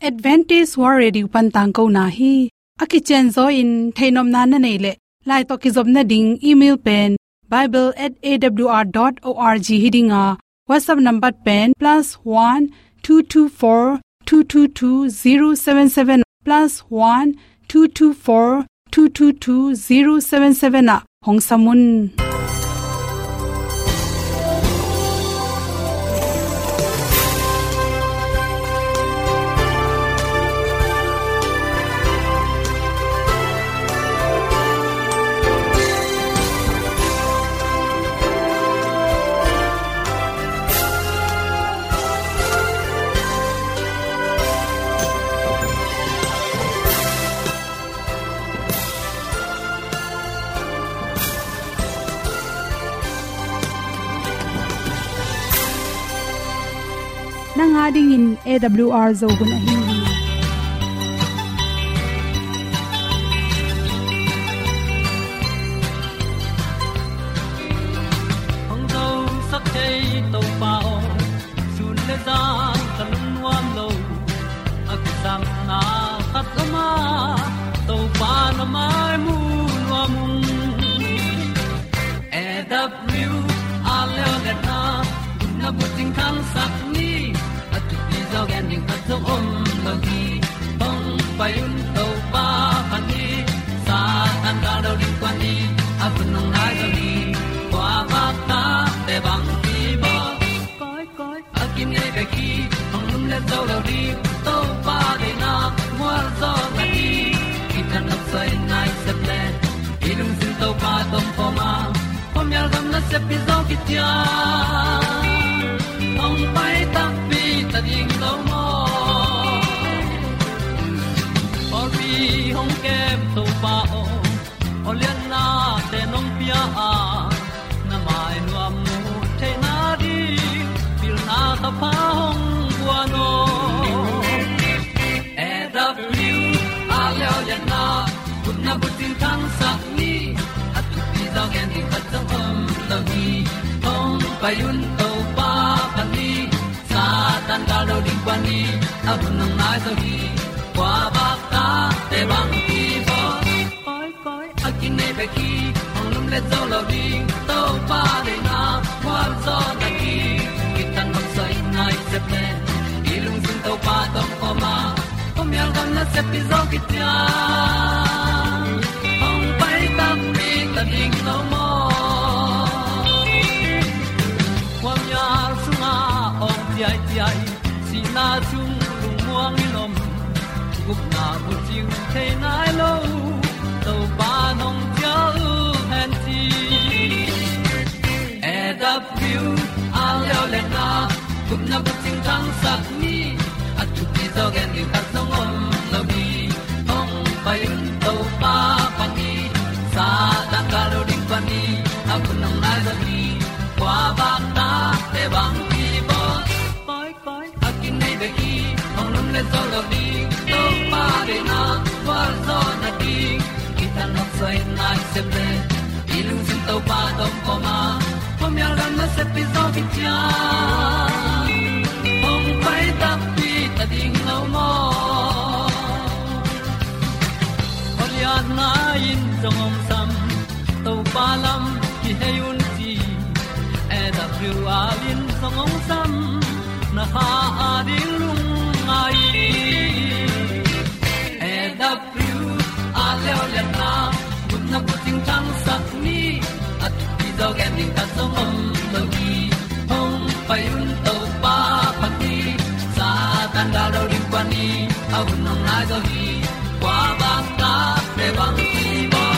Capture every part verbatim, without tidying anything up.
Adventist World Radio pan tangkona hi. A kicianzaw in theihnopna na neih leh, lai tawh kizopna ding email pen bible at A W R dot org hi ding a, WhatsApp number pen plus one two two four two two two zero seven seven, plus one two two four two two two zero seven seven ah hong sam un. Nang a dingin A W R Zo hun ahi hi. Hong zosak thei Topa aw, sun le zan ka lungnuam lo. A kisapna khat om a, Topa na mai mu nuam ung. A W R leo le na, na bucing khangsak ni. A thupi zaw gen ding khat zong om lo hi. Hong pai un Topa phat ni. Satan gal lo ding kuan ni. A hun hong nai zo ni. Kua bak ta te bang ki bawl. Koi, koi. A kinei bek hi, hong lum le zo lo ding, Topa deihna mual zaw na hi. Kitang nok soi nai sep le, i lungsim Topa tawh om khawm a, khuamial gam nasep hi zaw kician. Hong pai takpi ta ding lo maw? Pawlpi hong kem Topa aw, aw liannate nong pia a, na mai nuam mu theihna ding, pilna thapha hong guan aw. A W R leo lianna, gupna bucing khangsak ni. A thupi zaw gen ding khat zong om lo hi. Hong pai un Topa phat ni. Satan gal lo ding kuan ni. A hun hong nai zo hi. Kua bak ta te bang ki bawl. Koi, koi. A kinei bek hi, hong lum le zo lo ding, Topa deihna mual zaw na hi. Kitang nok soi nai sep le, i lungsim Topa tawh om khawm a, khuamial gam nasep hi zaw kician. Hong pai takpi ta ding lo maw? Khuamial sungah awng ciaiciai, sihna sung lungmuang in om, gupna bucing thei nai lo, Topa nong cial hen ci. A W R leo lianna, gupna bucing khangsak ni. A thupi zaw gen ding khat zong om lo hi. Hong pai un Topa phat ni. Satan gal lo ding kuan ni. A hun hong nai zo hi. Kua bak ta te bang ki bawl. Koi, koi. A kinei bek hi, hong lum le zo lo ding, Topa deihna mual zaw na hi. Kitang nok soi nai sep le, i lungsim Topa tawh om khawm a, khuamial gam nasep hi zaw kician. Hong pai takpi ta ding lo maw? Aw lianna in zong hong sam, Topa lam kihei un ci. A W R in zong hong sam, na kha a ding lungngai. A W R leo lianna, gupna bucing khangsak ni. A thupi zaw gen ding khat zong om lo hi. Hong pai un Topa phat ni. Satan gal lo ding kuan ni. A hun hong nai zo hi. Kua bak ta te bang ki bawl.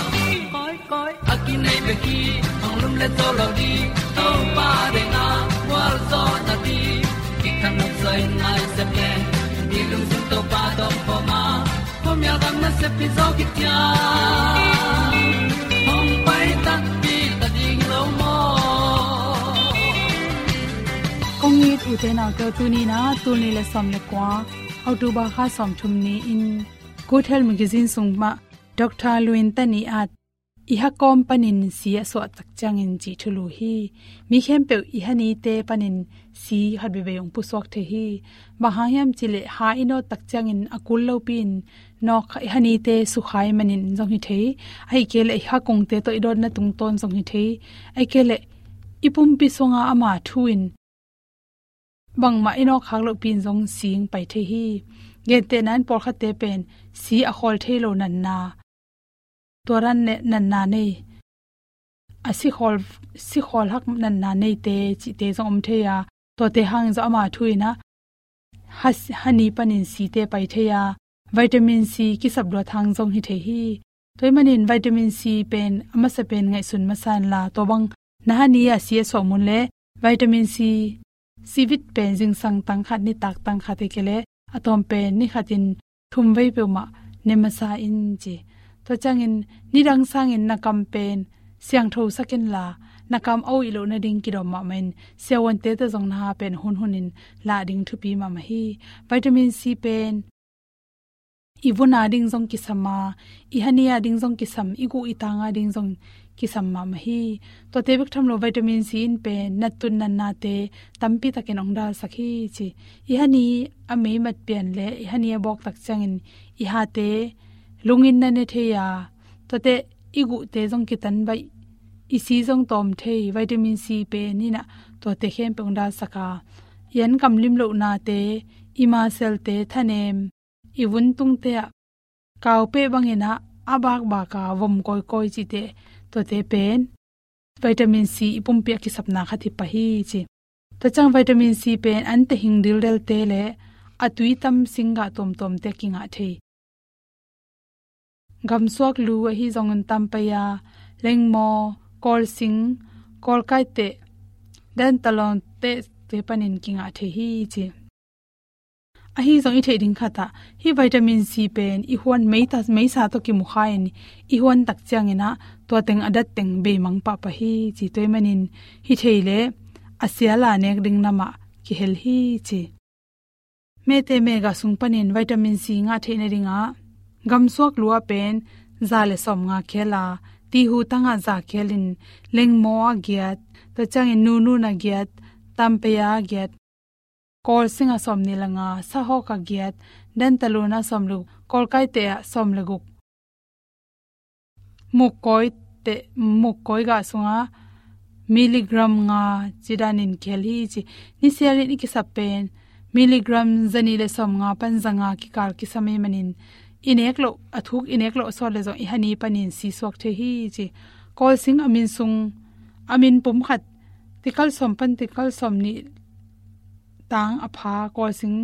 Koi, koi. A kinei bek hi, hong lum le zo lo ding, Topa deihna mual zaw na hi. Kitang nok soi nai sep le, i lungsim Topa tawh om khawm a, khuamial gam nasep hi zaw kician. Hong pai takpi ta ding lo maw? Kong it u te nau te, tuni in a, tul nih le sawm le kua, October kha sawmthum ni-in, Good Health Magazine sung mah, Doctor Luin Tani at i ha kawm panin si a suah tak ciangin cih thulu hi. Mi khempeuh i ha nite panin si khat veivei hong pusuak thei hi. Bang hang hiam cih leh ha i nawt tak ciangin a kul lopi-in nawk kha, i ha nite sukha ahih manin zong hi thei. Ahih kei leh i ha kungte tawh i dawtna tungtawn zong hi thei. Ahih kei leh i pumpi sunga ama thu in bangmah i nawk khak lohpi-in zong si hong pai thei hi. Gentehna in pawlkhatte pen si a khawl thei lo natna, tua dan ne-, natna nei, a si khawl, si khawl hak natna neite cihte zong om thei a, tuate hangin zong ama thu in ah ha, ha ni panin site pai thei a, vitamin C kisap luat hang zong hi thei hi. Tua ahih manin vitamin C pen a masa pen ngaihsun masa inla, tua bang na ha ni-ah si a suah mun leh vitamin C, C vit pen zingsang tang khat, nitak tang khat, ahih kei leh a tawm pen ni khatin thum vei peuhmah ne masa in ci. Tua ciangin nidang sangin na kam pen siangtho sak inla, na kam a uih loh nading kidawm mahmah in, siavuante tawh zong na ha pen hunhunin lah ding thupi mahmah hi. Vitamin C pen i vun a ding zong kisam a, i ha ni a ding zong kisam, i guh i tang a ding zong kisam mahmah hi. Tuate bek tham lo, vitamin C in pen nattun natnate tampi takin hong dalsak hi ci. I ha ni a mei mat pian leh i ha ni a bawk tak ciangin i hate lungin na ne thei a, tuate i guhte zong kitan baih, i si zong tawm thei, vitamin C pen in ah tuate khempeuh hong dalsak a, i an kam lim lohnate, i muscle-te thanem, i vun tungte ah kaupeh bangin ah a bakbak a vom kawikawi cihte, tuate pen vitamin C i pumpi a kisapna khat hi pah hi ci. Tua ciang vitamin C pen an tehing dildelte leh a tui tam singgah tuamtuamte kingah thei. Gamsuak lu ahi zongin tampaya, lengmaw, kawlsing, kawlkaiteh, dantalon tehte panin kingah thei hi ci. Ahi zong i theih ding khat ah, hih vitamin C pen i huan meita, meisa tawh kimukha-in i huan tak ciangin ah tua teng a dat teng beimang pahpah hi ci. Tua ahih manin hi thei leh a sial a nek ding namah kihel hi ci. Mehte mehgah sung panin vitamin C ngah theih nadingah gamsuak lu ah pen za le sawmnga khel a, tihu tangah za khelin, lengmaw ah giat, tua ciangin nunun ah giat, tampaya ah giat, kawlsing ah sawmnih le nga, sahawk ah giat, dantalun ah sawm le guk, kawlkaiteh ah sawm le guk, mukkawiteh, mukkawi gah sungah milligram nga ci danin kihel hi ci. Nisialin i kisap pen milligram zanih le sawmnga pan zanga kikal kisam ahih manin i nek loh, a thuk i nek loh sawt leh zong i ha ni panin si suak thei hi ci. Kawlsing a min sung, a min pum khat, tikal sawm pan tikal sawmnih tang a pha kawlsing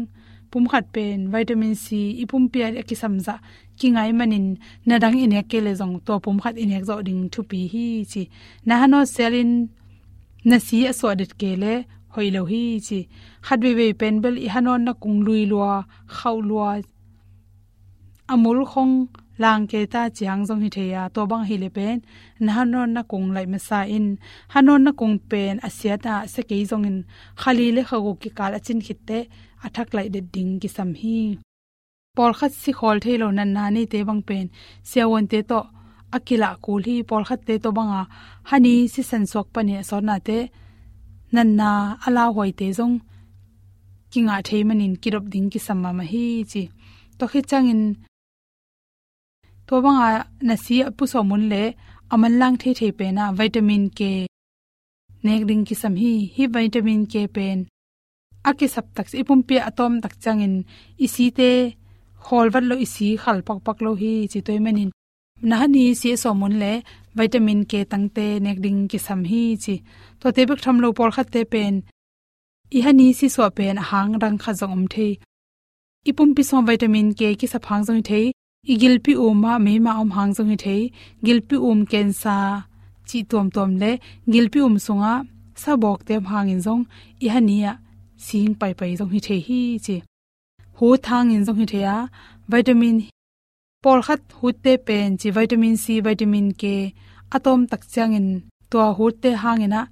pum khat pen vitamin C i pumpi a kisam zah kingai manin, na dang i nek kei leh zong tua pum khat i nek zawh ding thupi hi ci. Na ha nawt sialin na si a suah det kei leh hoih lo hi ci. Khat veivei pen bel i ha nawtna kung lui lua, khauh lua, a mul khong lang kei ta ci hang zong hi thei a, tua bang ahih leh pen na ha nawtna kung laih masa in. Ha nawtna kung pen a siat a sia kei zongin kha li le kha guk kikal a cin khit teh a thak laih det ding kisam hi. Pawlkhat si khawl thei lo natna neite bang pen siavuante tawh a kilah kul hi. Pawlkhatte tawh bang a ha ni sisan suak panin a sawtnate natna a lauhuaite zong kingah thei manin kidop ding kisam mahmah hi ci. Tua khit ciangin tua bang a na si a pusuah mun leh a manlang theithei pen ah vitamin K nek ding kisam hi. Hih vitamin K pen a kisap tak, i pumpi a tawm tak ciangin i site khawl vat lo, i si khal pakpak lo hi ci. Tua ahih manin na ha ni si a suah mun leh vitamin K tangte nek ding kisam hi ci. Tuate bek tham lo, pawlkhatte pen i ha ni si suah pen a hang dang khat zong om thei. I pumpi sungah vitamin K kisap hang zong hi thei, i gilpi um ah meima om hang zong hi thei, gilpi um cancer cih tuamtuam leh gilpi um sungah sabawkte om hangin zong i ha ni ah si hong paipai zong hi thei hi ci. Hut hangin zong hi thei a, vitamin, pawlkhat hutte pen ci, vitamin C, vitamin K a tawm tak ciangin tua hutte hangin ah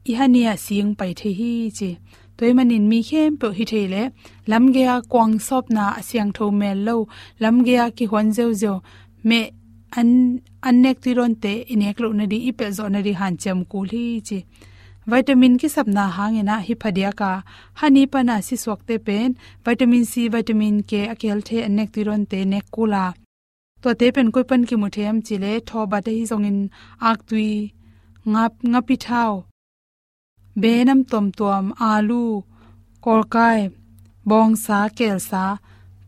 i ha ni ah si hong pai thei hi ci. Tua ahih manin mi khempeuh hi thei leh lamgei a kuang sawpna, a siangtho mel lo, lamgei a kihuan ziauziau, meh an, an nek tui dawnte i nek loh nading, i pelh zawh nading hanciam kul hi ci. Vitamin kisapna hangin ah hi phadiak a, hani pana sisuakte pen vitamin C, vitamin K a kihel thei an nek tui dawnte nek kul a. Tuate pen koi pan kimu thei hiam cih leh thawbat ahi zongin aktui, ngap, ngapi thau, benam tuamtuam, alu, kawlkai, bawngsa, kelsa,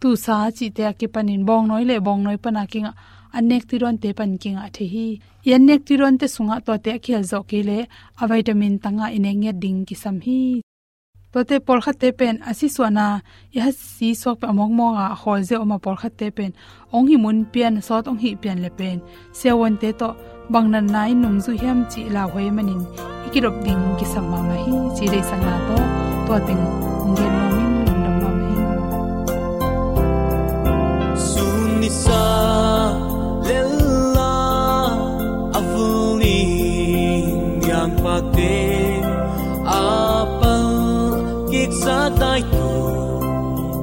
tusa cihte a kipanin bawngnawi le bawngnawi pana kingah an nek tui dawnte pan kingah thei hi. I an nek tui dawnte sungah tuate a kihel zawh kei leh a vitamin tangah i nek ngiat ding kisam hi. Tuate pawlkhatte pen a sisuahna i ha sisuak pen a mawkmawk a, a khawl zia om a, pawlkhatte pen hong hih mun pian, sawt hong hih pian le pen siavuante tawh bang natna in nungzui hiam cih lauhuai manin i kidop ding kisam mahmah hi ci deihsakna tawh tua teng hong gen nuam ing. Lungdam mahmah hi. Sun nisa lella a vul ning niang pakte a pal kiksa tai tu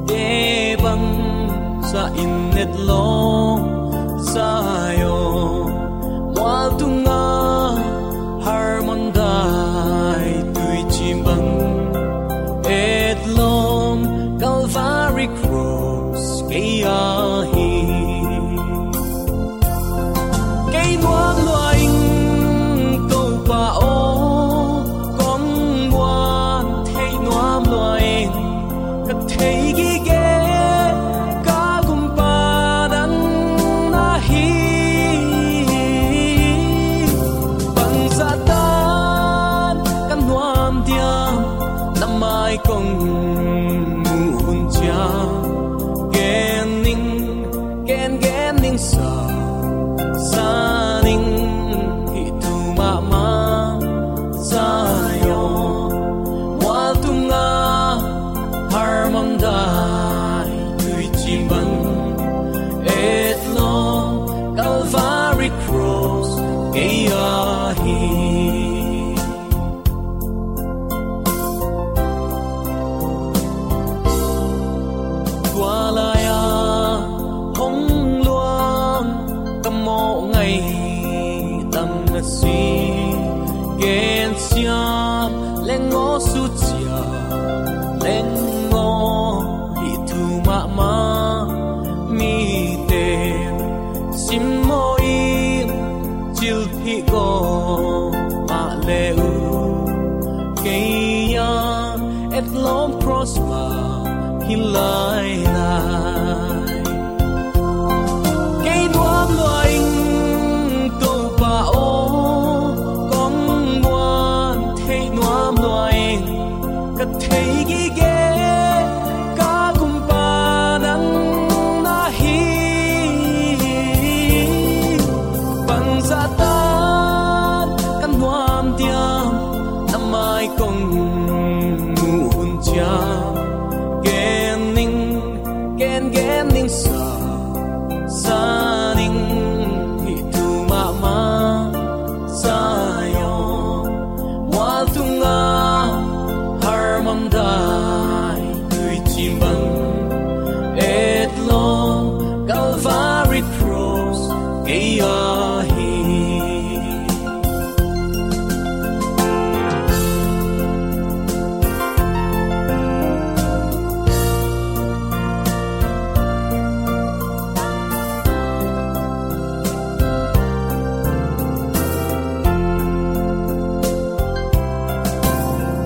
te bang sa in et lawm Zion mual tunga Hermon dai tuicim bang et lawm Calvary Cross kei a hi. Kei nuam lua ing Topa aw, kong muan thei nuam lua ing, ka thei gige ka gumpa nang na hi. Bangzah tan ka nuam diam, na mai kong muh hun ciang, gen ning, gen gen ning sa, sa ning hih thu mahmah Zion mual tunga Hermon dai tuicim bang et lawm Calvary Cross kei a hi. Tua lai-a hong luang ka mawh ngaih tam na si, gensiam leng aw, sucia leng aw, hih thu mahmah mite simmaw in, cilphih gawp mah le uh, kei a etlawm cross mah hi lailai. Kei nuam lua ing Topa aw, kong muan thei nuam lua ing, ka thei gige ka gumpa nang na hi. Bangzah tan ka nuam diam, na mai kong muh hun ciang, gen ning, gen gen ning sa, sa ning hih thu mahmah Zion mual tunga Hermon dai tuicim bang etlawm Calvary Cross kei a hi.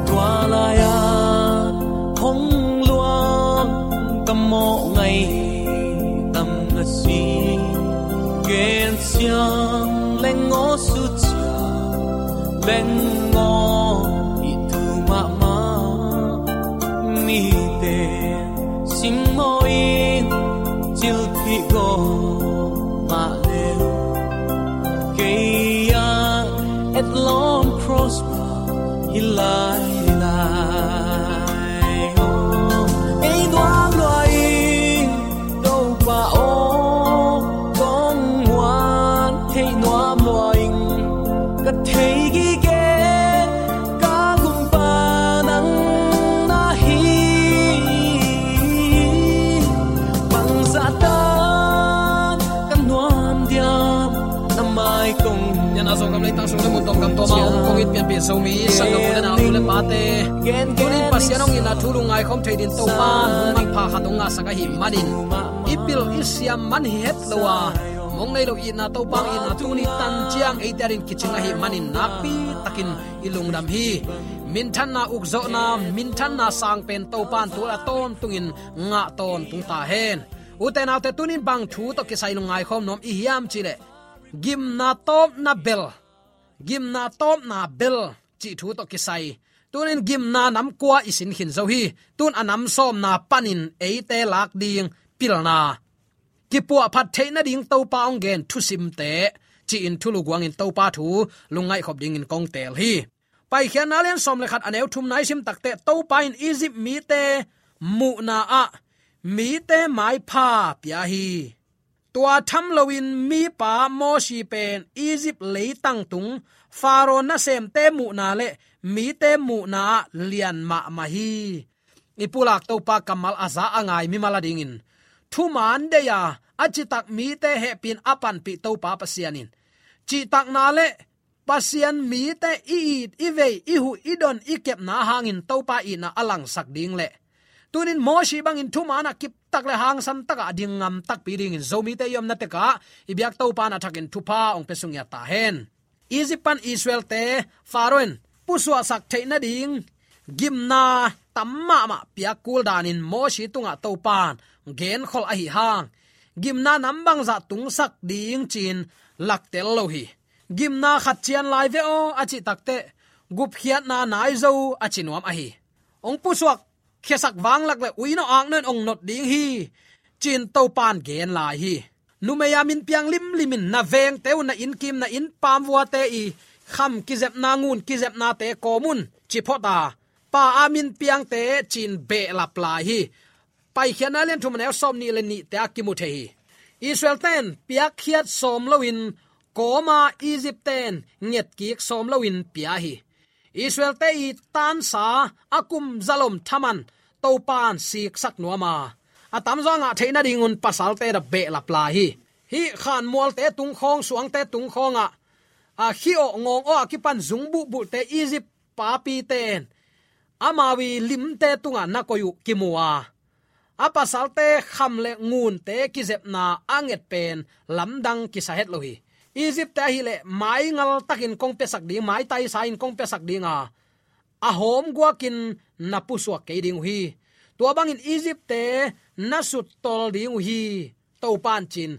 Tua lai-a hong luang ka mawh ngaih tam na si, gensiam leng aw, sucia leng aw, hih thu mahmah mite simmaw in, cilphih gawp mah le uh, kei a etlawm cross mah hi lailai. Aw, kei nuam lua ing Topa aw, kong muan thei nuam lua ing, ka thei gige ka gumpa nang na hi. Bangzah tan ka nuam diam, Zogam leitang sung le mun tawm gam tawm a om kong it pianpih Zomi sanggam u le nau, nu le pate, tunin Pasian hong itna thu lungngai khawm thei dingin Topa hong manpha khat hong ngahsak ahih manin, i pil i siam man hi het lo a, mong nei lo itna, Topa hong itna tuni tan ciang eite adingin kicing ahih manin nakpi takin i lungdam hi. Minthanna, ukzawhna, minthanna sang pen Topa in tu-a tawntungin ngah tawntung ta hen. Ute naute, tunin bang thu tawh kisai lungngai khawm nuam i hiam cih leh, gimna tawpna bel, gimna tawpna bel cih thu tawh kisai. Tunin gimna nam kua i sin khin zo hi. Tun a nam sawmna panin eite lak ding pilna, kipuahphat theih nading Topa hong gen thusimte, ci-in thulu guangin Topa thu lungngaih khop dingin kong teel hi. Paikhiatna lian sawm le khat, a neu thumna i sim takteh, Topa in Egypt mite muhna ah mite maipha pia hi. Tua tham loin mipa Mosi pen Egypt leitang tung Pharaoh nasemte muhna le mite muhna ah lian mahmah hi. I pulak Topa kammal a za a ngai mimal adingin, thuman deih a, a citak mite hehpih in a panpih Topa Pasian in, cihtakna le Pasian mite i it, i vei, i huh, i don, i kepna hangin Topa itna a langsak ding le, tunin Mosi bangin thuman a kiptak le hangsan takah a ding ngam takpi dingin Zomite i omna tekah i biak Topa in a thakin thupha hong pia sung hi ta hen. Egypt pan Israelte Pharaoh in pusuahsak theih nading gimna tam mahmah piak kul danin Mosi tungah Topa in genkhol ahih hang, gimna nam bangzah tungsak ding ci-in laktel lo hi. Gimna khat cian lai ve aw a cih takteh, gupkhiatna nai zo a ci nuam ahi. Hong pusuak khiasak vanglak le uinawh aknawh in hong not ding hi, ci-in Topa in gen lai hi. Numei a min piang limlim in na vengte uh, na innkim, na innpam vuate i kham kizepna, ngun kizepnate kawm un, ci phot a, pa a min piangte ci-in behlap lai hi. Paikhiatna lian thum, a neu sawmnih le nihte ah kimu thei hi. Israelte in piakkhiat sawm loin kawm a, Egyptte in ngetkik sawm loin pia hi. Israelte i tansa a kum zalom thaman Topa in siksak nuam a, a tamzaw a ngah theih nadingun pasalte da behlap lai hi. Hih khanmualte tungkhawng, suangte tungkhawngah, a, khih awh ngawng awh a kipan zung buhbuhte Egypt papite in amau i limte tungah na koih uh kimu a, a pasalte kham le ngunte kizepna a nget pen lamdang kisa het lo hi. Egyptte ahih leh maingal takin kong piasak ding, maitaisa in kong piasak ding a, a hawm guakin na pusuak kei ding uh hi. Tua bangin Egyptte na suttol ding uh hi, Topa in ci-in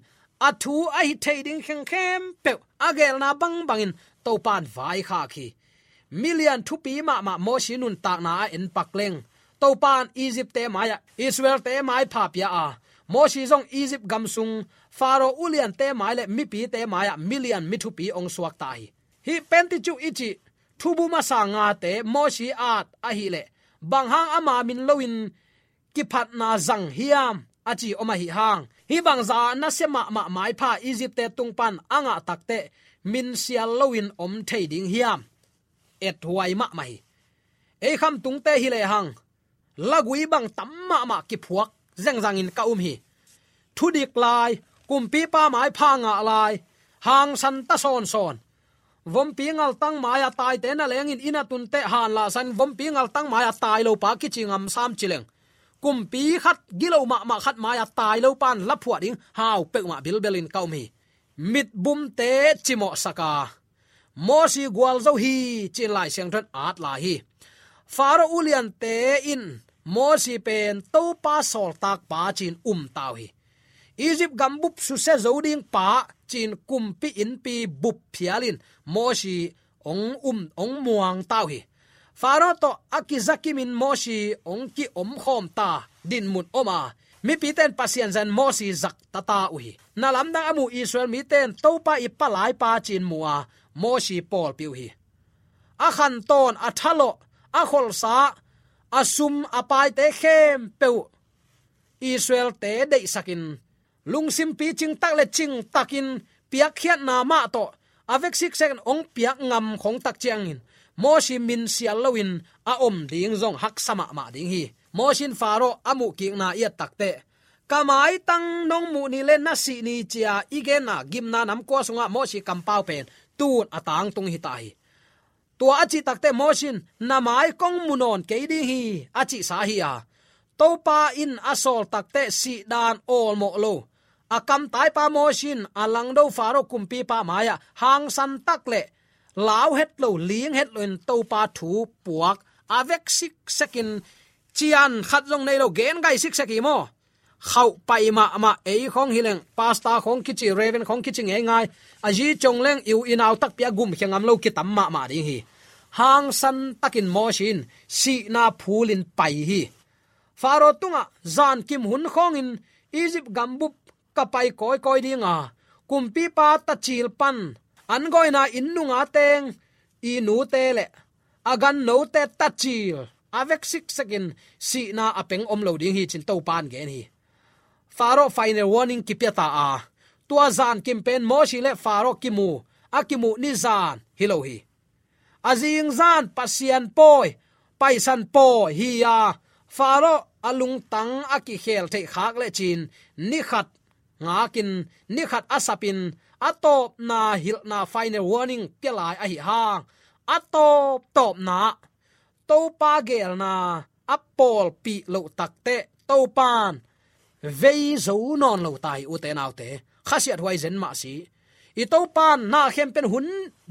a thu ahi thei ding khengkhempeuh a geelna bangbangin Topa in vaikhak hi. Milian thupi mahmah Mosi nuntakna a enpak leng, Topa in Egyptte mai-ah Israelte maipha pia a, Mosi zong Egypt gam sung Pharaoh uliante mai le mipite mai-ah milian mi thupi hong suakta hi. Hih Pentateuch i cih thubuma sang ngate Mosi at ahih leh, bang hang ama min loin kiphatna zang hiam a ci om ahih hang, hih bangzah nasia mahmah maipha Egyptte tung pan a ngah takteh, min sial loin om thei ding hiam? Ethuai mahmah hi. Ei khamtungte hi lehang, lagui bang tam mahmah kiphuak zengzangin ka um hi. Thudik lai, kumpipa maipha ngah lai, hangsan ta sawnsawn. Vompi ngaltang mai-a taite na lengin inn a tunteh hanlahsan, vompi ngaltang mai-a tai lopa kici ngam sam ci leng, kumpi khat, gilo mahmah khat mai-a tai lopa in laphuah ding hau peuhmah bilbelin ka um hi. Mitbumte cimawhsak a, Mosi gualzo hi ci-in Lai Siangtho in at lai hi. Pharaoh uliante in Mosi pen Topa sawltakpa ci-in umta uh hi. Egypt gam bup susia zo ding pa ci-in kumpi innpi bup phialin Mosi hong um, hong muangta uh hi. Pharaoh tawh a kizakimin Mosi hong kiomkhawmta dinmun om a, mipite in Pasian zan Mosi zaktata uh hi. Na lamdang a muh Israel mite in Topa i palaipa ci-in mu a, Mosi pawlpi uh hi. A khantawn, a thalawh, a kholsa, a sum, a paite khempeuh Israelte deihsakin, lungsim picing tak le cingtakin piakkhiatna mah tawh a vek siksekin hong piak ngam khong tak ciangin Mosi min sial loin a om ding zong haksa mahmah ding hi. Mosi in Pharaoh a muhkikna i et takteh, ka maitang nong muh ni le na sih ni ci-a i genna gimna nam kua sungah Mosi kampau pen tun a tangtung hi ta hi. Tua a cih takteh Moses in, "Na mai kong mu nawn kei ding hi," a cihsa hi a, Topa in a sawl takteh sihdan awlmawh lo a kamtaipa Moses in a langdo Faro kumpipa mai-ah hangsan tak le lau het lo, ling het loin Topa thu puak a vek siksekin, cian khat zong nei lo, gen gai siksek hi maw. Khauh pai mahmah, ei khong hi leng, pastor khong kici, reverend khong kici ngeingai, a zi cong leng i u i nau takpi a gumkhia ngam lo kitam mahmah ding hi. Hangsan takin Moses in sihna phulin pai hi. Faro tungah zankim hun khawngin Egypt gambup ka pai kawikawi ding a, kumpipa tacil pan an gawina inn nunga teng i nute le a gannote tacil a vek siksekin sihna a peng om lo ding hi, ci-in Topa in gen hi. Faro final warning kipia ta a, tua zankim pen Moses le Faro kimu, a kimuh ni zan hi lo hi. A zingzan Pasian pawi, Paisan pawi hi a, Faro a lungtang a kikhel theih khak lecin ni khat ngakin, ni khat a sapin, a tawpna hilhna final warning pia lai ahi hang, a tawptawpna Topa geelna a pawlpih loh takteh Topan vei zo nawn lo ta hi, ute naute. Khasiat huai zen mah si. I Topan na khempeuh hun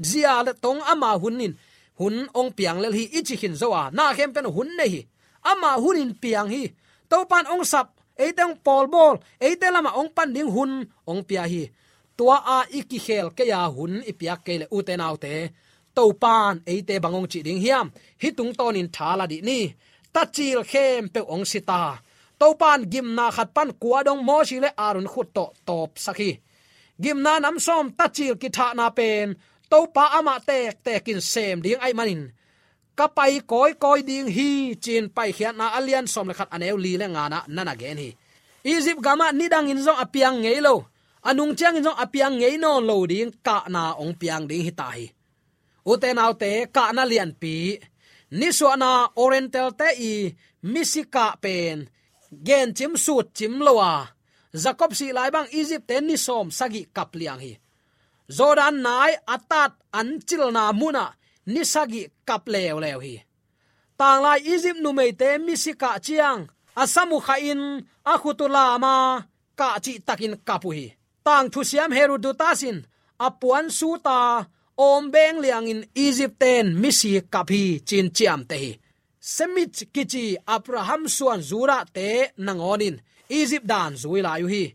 zia le tong ama hun in hun ong piang lel hi, i ci khin zo a, na khempeuh hun nei hi. Ama hun in piang hi. Topan ong sap, eite ong pawlbawl, eite lamah ong pan ding hun ong pia hi. Tua a i kikhel kei a, hun i piak kei le, ute naute, Topan eite bang ong cih ding hiam? Hih tungtawnin tha la dih ni. Tacil khempeuh ong si ta. Topan gimna khat pan kua dong Moses le Aaron khut tawh tawpsak hi. Gimna nam sawm tacil kithahna pen Topa amah tektekin sem ding ahih manin, "Ka pai kawikawi ding hi," ci-in Paikhiatna a lian sawm le khat, a neu li le ngana na na gen hi. Egypt gamah nidangin zong a piang ngei lo, a nung ciangin zong a piang ngei nawn lo ding kahna ong piang ding hi ta hi. Ute naute, kahna lianpi, nisuahna Oriental-te i misi kah pen gencim sutcim lo a, Jacob sih lai bang Egypt-te ni sawm sagih kap liang hi. Jordan nai a tat an cilna munah ni sagih kap leuleu hi. Tanglai Egypt numeite misi kah ciang a sam uh khahin a khut uh lam a, kah cihtakin kap uh hi. Tangthusiam Herodotus in a puan sut a awm beng liangin Egypt-ten misi kap hi, ci-in ciamteh hi. Semitic kici Abraham suan Judah-te nangawnin Egypt dan zui lai uh hi.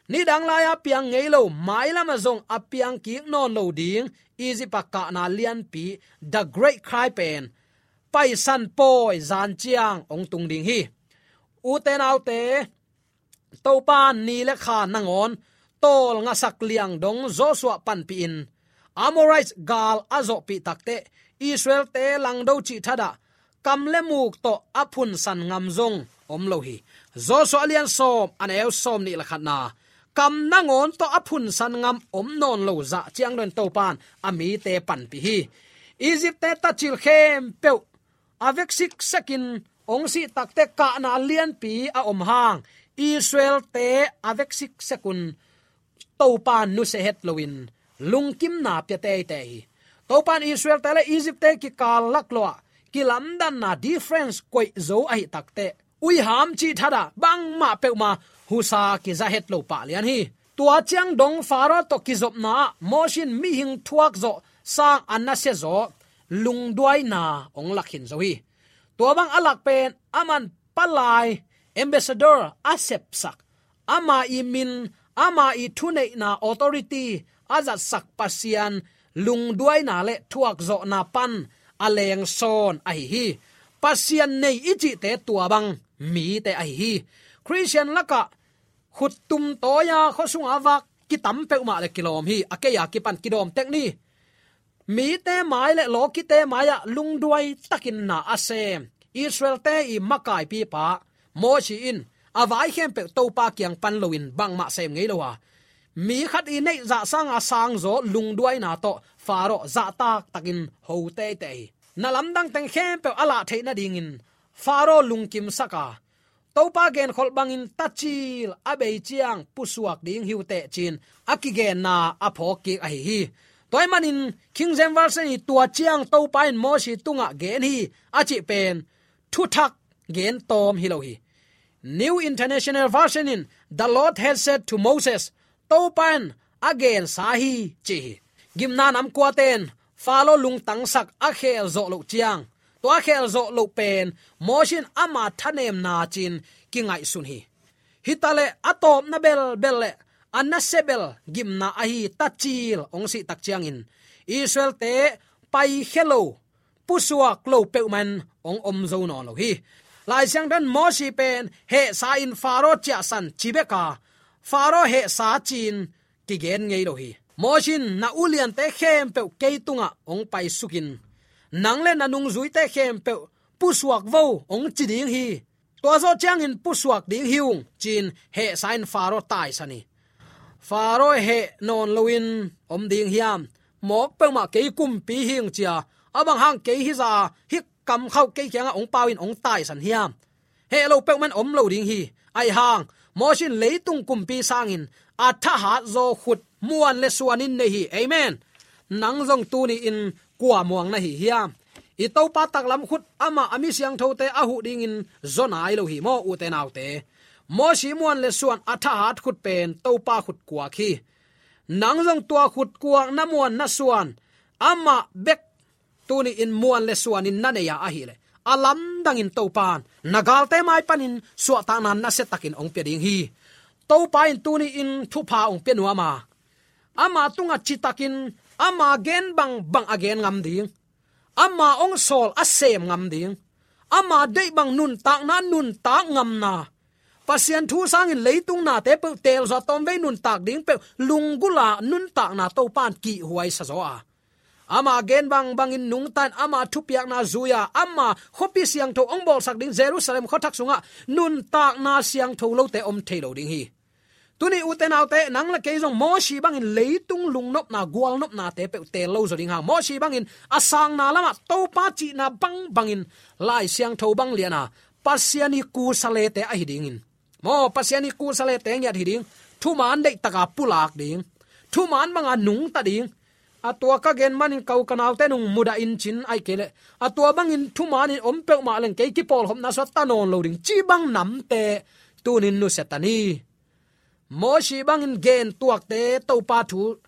Nidang lai-a piang ngei lo, mailamah zong a piang kik nawn lo ding Egypt-a kahna lianpi, the great cry pen Paisan pawi zan ciang ong tung ding hi. Ute naute, Topan ni le kha nangawn tawlngasak liang dong Joshua panpihin Amorite gal a zawhpih takteh Israel-te langdo cih thadah kam le muk tawh a phunsan ngam zong om lo hi. Joshua a lian sawm, a neu sawm nih le khatna, kam nangawn tawh a phunsan ngam om nawn lo zah ciang dong Topan a mite panpih hi. Egypt-te tacil khempeuh a vek siksekin ong sih takteh kahna lianpi a om hang, Israel-te a vek siksekun Topan nusia het loin lungkimna pia teitei hi. Topan Israel-te le Egypt-te kikal laklawh ah kilamdanna, difference, koih zo ahih takteh uiham cih thadah bangmah peuhmah husa kiza het lo pah lian hi. Tua ciang dong Faro tawh kizopna ah Moses in mihing thuak zawh sang a nasia zaw lungduaina ong lak khin zo hi. Tua bang a lak pen aman palai, ambassador, a sepsak, ama i min, ama i thuneihna, authority a zatsak Pasian lungduaina le thuakzawhna pan a lengsawn ahi hi. Pasian nei i cihte tua bang mite ahi hi. Khristian lakah khuttum tawi-a khuasunga vak kitam peuhmah le kilawm hi. A kei a kipan kidawm tek ni. Mite mai le lawkite mai-ah lungduai takin na a sem Israel-te i makaipipa Moses in a vai khempeuh Topa kiang pan loin bangmah sem ngei lo a, mi khat i neih zah sanga sangzaw lungduaina tawh Faro zahtak takin ho teitei hi. Na lamdang teng khempeuh a lah theih nadingin Faro lungkimsak a, Topa genkholh bangin tacil a bei ciang pusuak ding hi uh teh, ci-in a kigenna a phawk kik ahi hi. Tua ahih manin King James Version in tua ciang Topa in Mosi tungah gen hi a cih pen thuthak gen tawm hi lo hi. New International Version in, "The Lord had said to Moses," Topa in a gensa hi ci hi. Gimna nam kuate in Faro lungtangsak a khel zawh loh ciang, tua a khel zawh loh pen Mosi in ama thanemna ci-in kingaihsun hi. Hi ta leh a tawpna belbel leh a nasia bel gimna ahi tacil hong sih tak ciangin Israel-te paikhia lo, pusuak lo peuhmah in hong om zo nawn lo hi. Lai Siangtho in Mosi pen hehsa-in Faro ciahsan ci bek a, Faro hehsa ci-in kigen ngei lo hi. Mosi in, "Na uliante khempeuh kei tungah hong paisukin, nang leh na nungzuite khempeuh pusuak vo," hong ci ding hi. "Tua zawh ciangin pusuak ding hi ung," ci-in hehsa-in Faro taisan hi. Faro heh nawn loin om ding hiam? "Mawk peuhmah, kei kumpi hi ing," ci-a, "A bang hang kei hizah a, hih kamkhauh kei kiangah hong pau in," hong taisan hiam? Heh lo peuhmah in om lo ding hi. Ahih hang Mosi in leitung kumpi sangin a thahat zaw khut muan leh suanin nei hi. Amen. Nang zong tuni-in kua muang na hi hiam? I Topa taklam khut, amah a mi siangthote a huh dingin zaw nai lo hi maw, ute naute? Mosi muan leh suan a thahat khut pen Topa khut kuak hi. Nang zong tua khut kuak na muan na suan, amah bek tuni-in muan leh suanin na nei a ahih leh, a lamdangin Topa in na galte mai panin suahtakna nasiatakin hong pia ding hi. Topa in tuni-in thupha hong pia nuam a, ama tungah citakin ama gen bangbang a gen ngam ding, ama hong sawl a sem ngam ding, ama deih bang nuntakna nuntak ngamna, Pasian thu sangin leitung nate peuh teel zawh a tawmvei nuntak ding peuh lunggulh a nuntakna Topa in kihhuaisa zaw a, ama gen bangbangin nungta-in ama thupiakna zui a, ama khuapi siangtho hong bawlsak ding Jerusalem khuathak sungah nuntakna siangtho lote om thei lo ding hi. Tuni, ute naute, nang leh kei zong Mosi bangin leitung lungnopna, gualnopnate peuh teel lo zaw ding hang, Mosi bangin a sangna lamah Topa cihna bangbangin Lai Siangtho bang lian a, Pasian ii kusalete ahi dingin, maw, Pasian ii kusalete ngiat hi ding, thuman deihtak a pulak ding, thuman bang a nungta ding, a tua ka gen manin ko ka naute nung mudah in cin, ahih kei leh a tua bangin thumanin om peuhmah leng kei kipawlkhopna suak ta nawn lo ding, cih bang namte tuni-in nusia ta ni. Mosi bangin gen tuakte Topa thu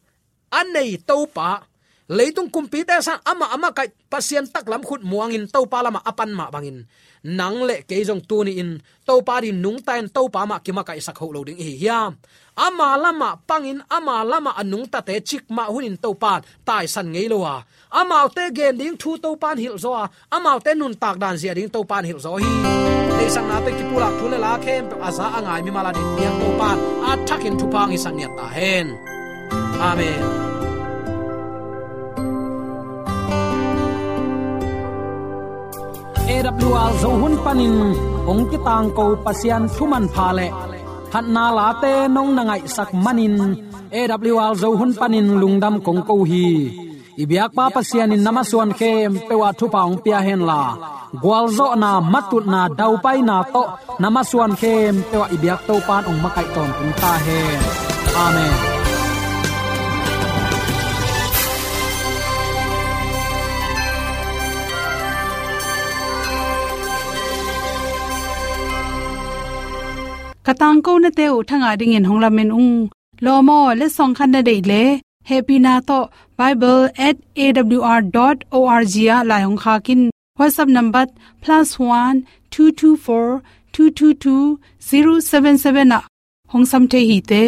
a nei Topa, leitung kumpite sang amah a makaih Pasian taklam khut muangin Topa lamah a pan mah bangin, nang leh kei zong tuni-in Topa adingin nungta-in Topa mah kimakaihsak hoh lo ding i hi hiam? Ama lamah pangin, ama lamah a nungtate cikmah hunin Topa in taisan ngei lo a, amaute gen ding thu Topa in hilh zaw a, amaute nuntak dan zia ding Topa in hilh zaw hi. Deihsakna tawh kipulak thu leh la khempeuh a za a ngai mimal adingin piang Topa in a thakin thupha hong hisak ngiat ta hen. Amen. A W R Zo hun panin hong kitangko Pasian thu manpha leh phatna late nong na ngaihsak manin A W R Zo hun panin lungdam kong ko hi. I biakpa Pasian in na masuan khempeuh ah thupha hong pia henla, gualzawhna, matutna, daupaina tawh na masuan khempeuh ah i biak Topa in hong makaih tawntung ta hen. Amen. Ka tangkonate uh thangah dingin hong lamen ung. Lawm aw, letsong khat na deih leh, hehpihna tawh bible at A W R dot O R G ah lai hong khak in. WhatsApp number plus one two two four two two two zero seven seven ah hong sam thei hi te.